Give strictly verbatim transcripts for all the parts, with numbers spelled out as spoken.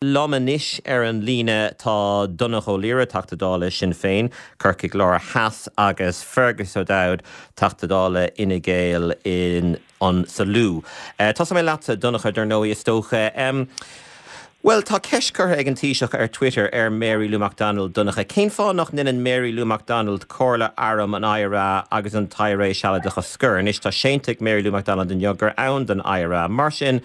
Liom anois ar an líne tá Donnchadh Ó Laoghaire, Teachta Dála Sinn Féin, Corcaigh Láir Theas agus Fergus O'Dowd, Teachta Dála Fhine Gael in an sa Lú. Uh, Tá mé leatsa Donnchadh dar ndóigh is dócha. Um, Well tá ceist curtha ag an Taoiseach ar Twitter ar Mary Lou McDonald Donnchadh. Cén fáth nach ndéanann Mary Lou McDonald Comhairle Arm an IRA agus an tIRA Sealadach a scor. Anois tá séanta ag Mary Lou McDonald inniu gur ann don IRA. Mar sin,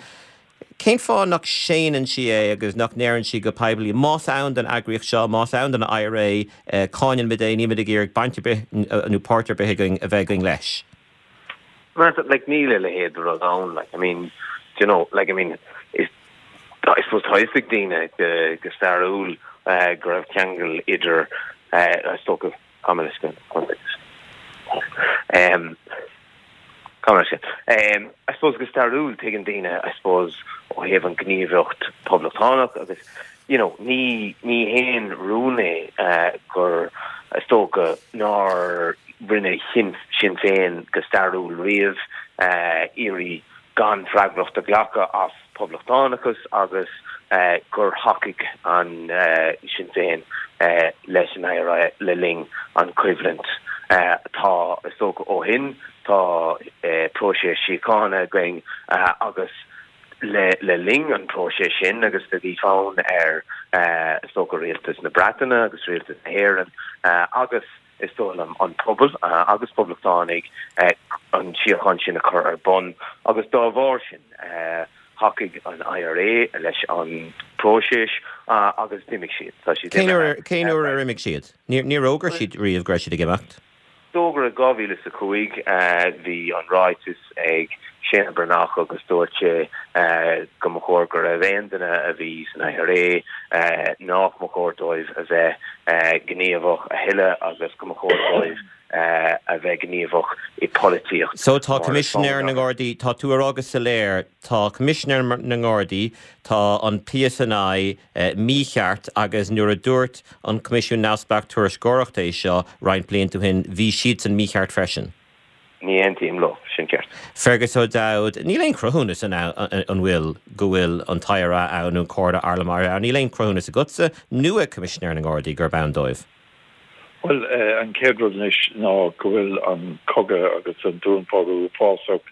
Cén fáth nach séanann sí é agus nach ndeireann sí go poiblí más ann don eagraíocht seo más ann don IRA eh, cáinim é níl ag iarraidh baint nó páirt ar bith againn a bheith againn leis. like níl a leithéid rud ann like I mean you know like I mean is I suppose tá a fhios ag daoine go go stairiúil uh, go raibh ceangal idir uh, stoca um Um, I suppose go stairiúil tuigeann daoine I suppose ó thaobh an ghníomhaíocht poblachtánach agus you know ní ní haon rún é uh, gur is dócha nár rinne Sinn Sinn Féin go stairiúil riamh uh, iarraidh gan freagracht a ghlacadh as poblachtánachas agus uh, gur thacaigh an uh, Sinn Féin uh, leis an IRA le linn an choimhlint uh, tá is dócha ó shin tá uh, próiseas síochána againn uh, agus le le linn an próiseas sin agus de bhí fonn ar uh, is dócha rialtas na Breataine agus rialtas na hÉireann uh, agus is dóigh liom an pobal uh, agus poblachtánaigh uh, an síocháin sin a chur ar bun agus dá bharr sin uh, thacaigh an IRA leis an próiseas uh, agus d'imigh siad Cén uair ar imigh siad? Níor fhógair siad riamh go raibh siad ag imeacht? D'fhógair dhá mhíle a cúig bhí an ráiteas ag Séanna Breathnach agus dúirt sé go mba chóir go raibh aon duine a bhí san IRA nach mba chóir dóibh a bheith gníomhach a thuilleadh agus go mba chóir dóibh a bheith gníomhach i polaitíocht. So tá Coimisinéir na nGardaí tá tú agus sa léir tá Coimisinéir na nGardaí tá an PSNI mícheart agus nuair a dúirt an Coimisiún Neamhspleách Tuairisceoireachta é seo roinnt blianta ó shin bhí siad san mícheart freisin. Ní aontaím leo sin ceart. Fergus O'Dowd, níl aon chruthúnas an an bhfuil go bhfuil an tIRA ann nó Comhairle Arm an níl aon chruthúnas agatsa nó ag Coimisinéir na nGardaí gurb ann dóibh. Well uh, an chéad rud anois ná go bhfuil an cogadh agus an dúnmharú uafásach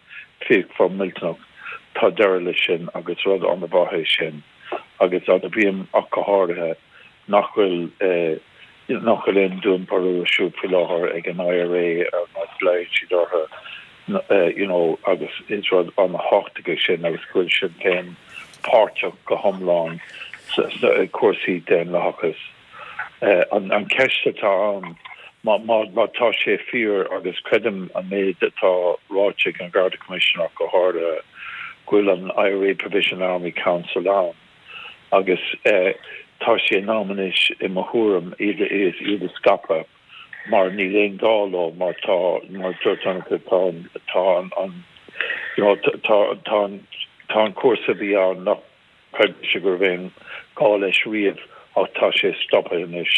fíochmhar millteanach tá deireadh leis sin agus rud an-mhaith é sin agus an bhíonn ach go háirithe nach bhfuil uh, nach bhfuil aon dúnmharú ar siúl faoi láthair ag an IRA ar mar glaonn siad orthu uh, you know agus is rud an-tábhachtach é sin agus go bhfuil Sinn Féin páirteach go hiomlán cúrsaí daonlathachas. Uh, an, an ceist atá ann má, má, má tá sé fíor agus creidim an méid atá ráite ag an Garda Commissioner go háirithe go bhfuil an IRA Provisional Army Council ann agus uh, tá sé in am anois i mo thuairim iad iad iad a scaipeadh mar níl aon gá leo mar tá mar tá tá tá an you know, tá tá tá an cúrsa bhí ann nach sé go raibh aon gá leis riamh ach tá sé stoptha anois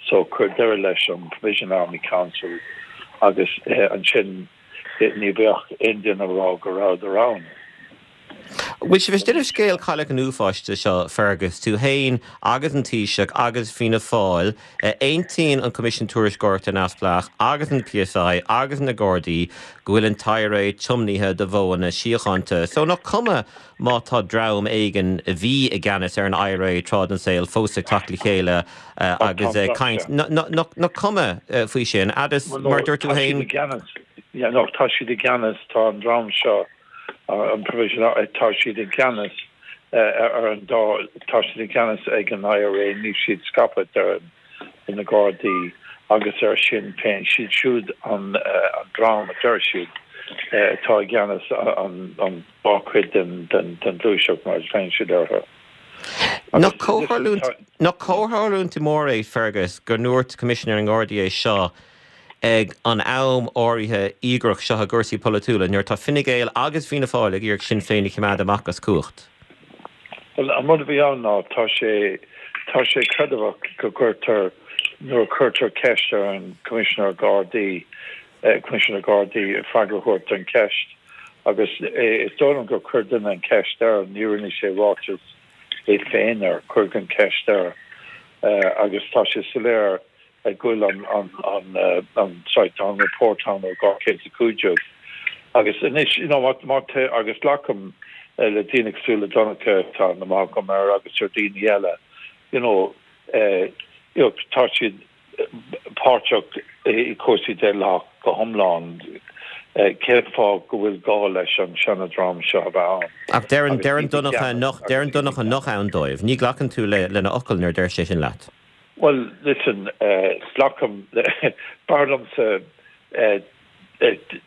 so cuir deireadh leis an Provisional Army Council agus eh, ansin eh, ní bheadh aon duine ag rá go rabhadar ann. Bhfuil sé bhí scéal chailleach an uafáis seo Fergus tú féin agus an Taoiseach agus Fianna Fáil aontaíonn an Coimisiún Tuairisceoireachta Neamhspleách agus an PSI agus na Gardaí go bhfuil an tIRA tiomnaithe do mhodhanna síochánta. So nach cuma má tá dream éigin a bhí i gceannas ar an IRA tráth den saol fós ag teacht le chéile agus caint nach cuma faoi sin agus mar dúirt tú féin tá siad i gceannas tá an dream seo an provisional tá siad i gceannas ar an dá tá siad i gceannas ag an IRA níl siad scaipthe ar na Gardaí agus ar Sinn Féin siad siúd an an dream a deir siad atá i gceannas an an dá chuid den den den ghluaiseacht mar féin siad orthu. Nach comhtharlúint mór é Fergus go ndúirt Coimisinéir na nGardaí é seo ag an am áirithe íograch seo i gcúrsaí polaitiúla nuair tá Fine Gael agus Fianna Fáil ag iarraidh Sinn Féin a choimeád amach as cumhacht. Well an rud a bhí ann ná tá sé tá sé creideamhach go gcuirtear nuair cuirtear ceist ar an Commissioner Gardaí eh, Commissioner Gardaí freagra a thabhairt don cheist agus eh, is dóigh liom gur chuir duine an ceist air ní rinne sé ráiteas é féin air, cuireadh an cheist air agus tá sé soiléir go bhfuil an an an an sorry tá an report ann ó dhá chéad is a cúig déag agus anois you know má má tá agus glacaim le daoine cosúil le Donncha tá aithne mhaith agam air agus ar daoine eile you know you know tá siad páirteach i cúrsaí daonlathach go hiomlán. Cén fáth go bhfuil gá leis an seanadream seo a bheith ann? Ach deireann deireann Donncha nach deireann Donncha nach ann dóibh. Ní ghlacann tú le lena fhocal nuair a deir sé sin leat. Bhuel, listen, glacaim b'fhearr liomsa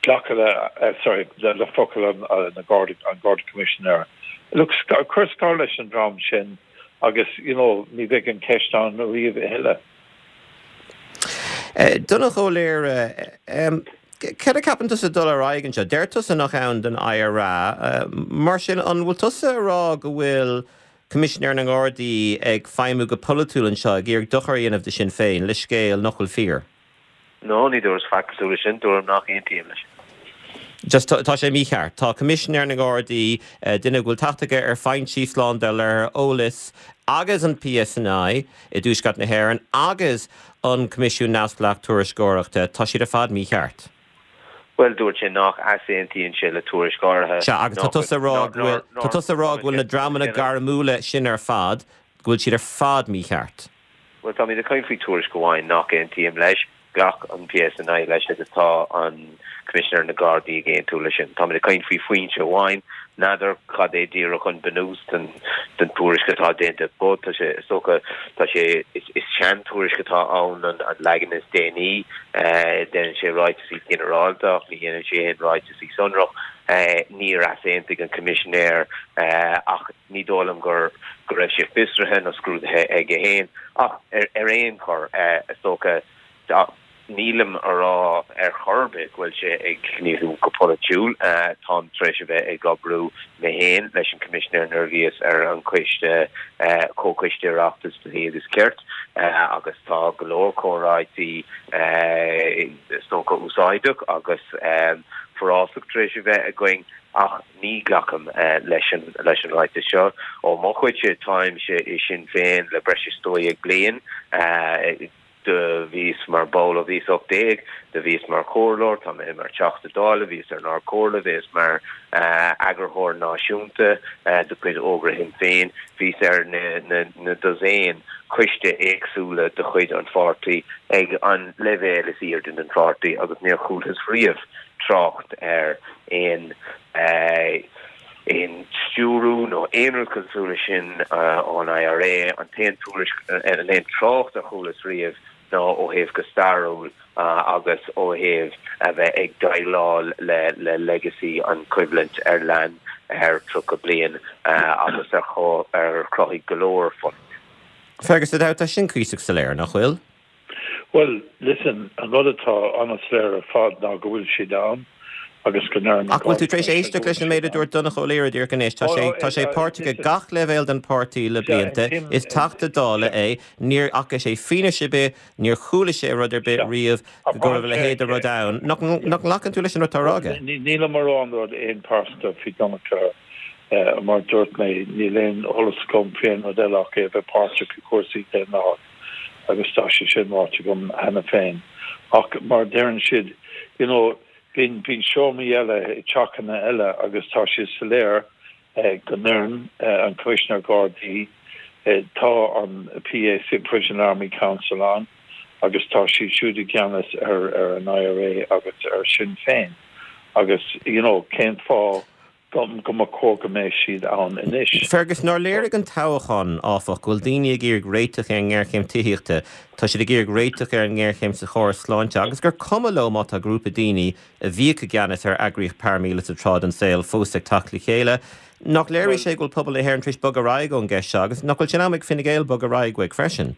glacadh le sorry le focal an na Garda an Garda Commissioner. Look, cuir scar leis an dream sin agus you know ní bheidh an ceist ann riamh a thuilleadh. Donncha Ó Laoghaire, céard a cheapann tusa dul ar aghaidh anseo? Deir tusa nach ann don IRA. Mar sin, an bhfuil tusa ag rá go bhfuil Coimisinéir na nGardaí ag feidhmiú go polaitiúil anseo, ag iarraidh dochar a dhéanamh do Sinn Féin le scéal nach bhfuil fíor? No, ní dúras faic cosúil leis sin, dúram nach aontaím leis. Just tá sé mícheart. Tá Coimisinéir na nGardaí, duine go bhfuil teacht aige ar foinsí slándála ar eolas agus an PSNI i dTuaisceart na hÉireann agus an Coimisiún Neamhspleách Tuairisceoireachta, tá siad ar fad mícheart. Bhuel, dúirt sé nach easaontaíonn sé le tuairisc áirithe. Sea, agus tá tusa ag rá go bhfuil, tá tusa ag rá go bhfuil na dreamanna gairmiúla sin ar fad, go bhfuil siad ar fad mícheart. Bhuel, táimid ag caint faoi tuairisc amháin nach aontaím leis. Ghlac an PSNI leis agus tá an Coimisinéir na Gardaí ag aontú leis sin. Táimid ag caint faoi foinse amháin. N'fheadar cad é díreach an bunús den den tuairisc atá déanta but tá sé, is dócha, tá sé, is is sean-tuairisc atá ann an an leagan is déanaí. Déanann sé ráiteasaí ginearálta ach ní dhéanann sé aon ráiteasaí sonrach. Níor easaontaigh an Coimisinéir ach ní dóigh liom gur go raibh sé fiosraithe nó scrúdaithe aige féin. Ach ar ar aon chor, is dócha, Nílim a rá ar chor ar bith go bhfuil sé ag gníomhú go polaitiúil. Táim tar éis a bheith ag oibriú mé féin leis an Coimisinéir nuair a bhíos ar an Coiste, Comhchoiste Oireachtais Dlí agus Cirt, agus tá go leor comhráití is dócha úsáideach agus forásach tar éis a bheith againn ach ní ghlacaim leis an leis an ráiteas seo. Ó mo chuidse, táimse i Sinn Féin le breis is dó dhéag bliain. Do bhíos mar ball ó bhíos ocht déag, do bhíos mar chomhairleoir, tá mé mar Teachta Dála, bhíos ar an Ard-Chomhairle, bhíos mar eagarthóir náisiúnta de chuid Ógra Shinn Féin, bhíos ar na dosaen coiste éagsúla de chuid an pháirtí ag an leibhéal is airde den pháirtí agus níor chualthas riamh trácht ar aon aon stiúrú nó aon rud cosúil leis sin ón IRA. An t-aon tuairisc, an aon trácht a chualas riamh ná ó thaobh go stairiúil agus ó thaobh a bheith ag déileáil le le legacy an choimhlint ar lean thar tríocha bliain agus ar ar chruthaigh go leor fulaingt. Fergus O'Dowd, tá sin cuíosach soiléir, nach bhfuil? Bhuel, listen, an rud atá an-soiléir ar fad ná go bhfuil siad ann agus go ndeir na Ach bhfuil tú tar éis éisteacht leis an méid a dúirt Donncha Ó Laoghaire díreach anois? Tá sé, tá sé páirteach ag gach leibhéal den pháirtí le blianta, is Teachta Dála é, níor fhaca sé fianaise ar bith, níor chuala sé rud ar bith riamh go raibh a leithéid de rud ann. Nach, nach nglacann tú leis an rud atá á rá aige? Nílim ag rá aon rud aon pearsanta faoi Donncha. Mar a dúirt mé, níl aon eolas agam faoi aon rud eile ach é a bheith páirteach i gcúrsaí daonlathach agus tá sé sin ráite agam cheana féin. Ach mar a deireann siad, you know, bíonn bíonn seomraí eile i dteachanna eile agus tá sé soiléir go ndeireann an Coimisinéir Gardaí, tá an PAC, Provisional Army Council ann agus tá siad siúd i gceannas ar ar an IRA agus ar Sinn Féin agus, you know, cén fáth go mba chóir go mbeadh siad ann anois. Fergus, nár léirigh an toghchán, áfach, go bhfuil daoine ag iarraidh réiteach ar an ngéarchéim tithíochta, tá siad ag iarraidh réiteach ar an ngéarchéim sa chóras sláinte agus gur cuma leo má tá grúpa daoine a bhíodh i gceannas ar eagraíocht paraimíleata tráth den saol fós ag teacht le chéile. Nach léirigh sé go bhfuil pobal na hÉireann tar éis bogadh ar aghaidh ón gceist seo agus nach bhfuil sé in am ag Fine Gael bogadh ar aghaidh uaidh freisin?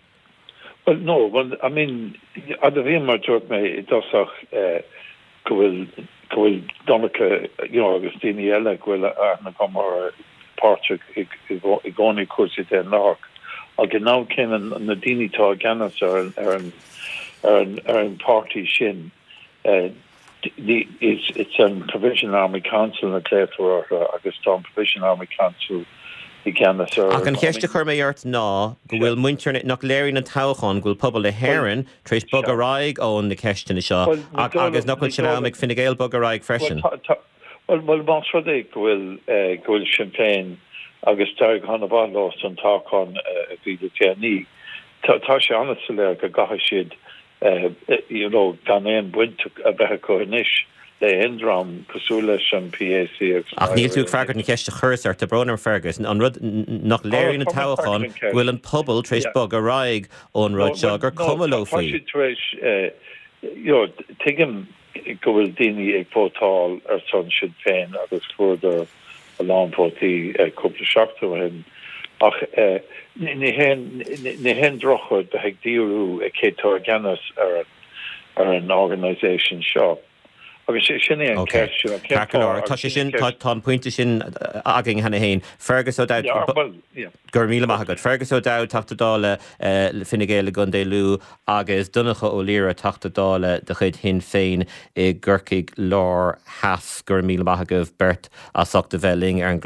Bhuel, no, well, I mean, admhaím mar a dúirt mé i dtosach, go bhfuil go bhfuil Donncha you know agus daoine eile go bhfuil aithne agam orthu páirteach i i gcónaí i cúrsaí daonlathach ach ag an am céanna na daoine atá i gceannas ar an ar an ar an ar an páirtí sin it's it's an Provisional Army Council a ghlaotar orthu agus tá an Provisional Army Council i gceannas ar. Ach an cheist a chuir mé ort ná go bhfuil muintir, nach léiríonn an toghchán go bhfuil pobal na hÉireann tar éis bogadh ar aghaidh ó na ceisteanna seo agus nach bhfuil sé in am ag Fine Gael bogadh ar aghaidh freisin? Bhuel, bhuel, más rud é go bhfuil go bhfuil Sinn Féin agus d'éirigh an-mhaith leo san toghchán a bhí le déanaí, tá sé an-soiléir go gcaithfidh siad you know gan aon bhaint a bheith acu anois le haon dream cosúil leis an PAC agus Ach níl tú ag freagairt an cheist a chuireas ort, tá brón orm Fergus, an rud nach léiríonn an toghchán go bhfuil an pobal tar éis bogadh ar aghaidh ón rud seo, gur cuma leo faoi. Tá siad tar éis, you know, tuigim go bhfuil daoine ag vótáil ar son Sinn Féin agus fuaireadar a lán vótaí cúpla seachtain ó shin ach ní haon drochrud bheith ag díriú ar cé atá i gceannas ar ar an organisation seo. Agus sin é an ceist sin, cén Ceart go leor, tá sé sin, tá an pointe sin againn cheana féin. Fergus O'Dowd, go raibh míle maith agat. Fergus O'Dowd, Teachta Dála le Fine Gael i gContae Lú agus Donncha Ó Laoghaire, Teachta Dála de chuid Shinn Féin i gCorcaigh Láir Theas. Go raibh míle maith agaibh beirt as ucht a bheith linn ar an.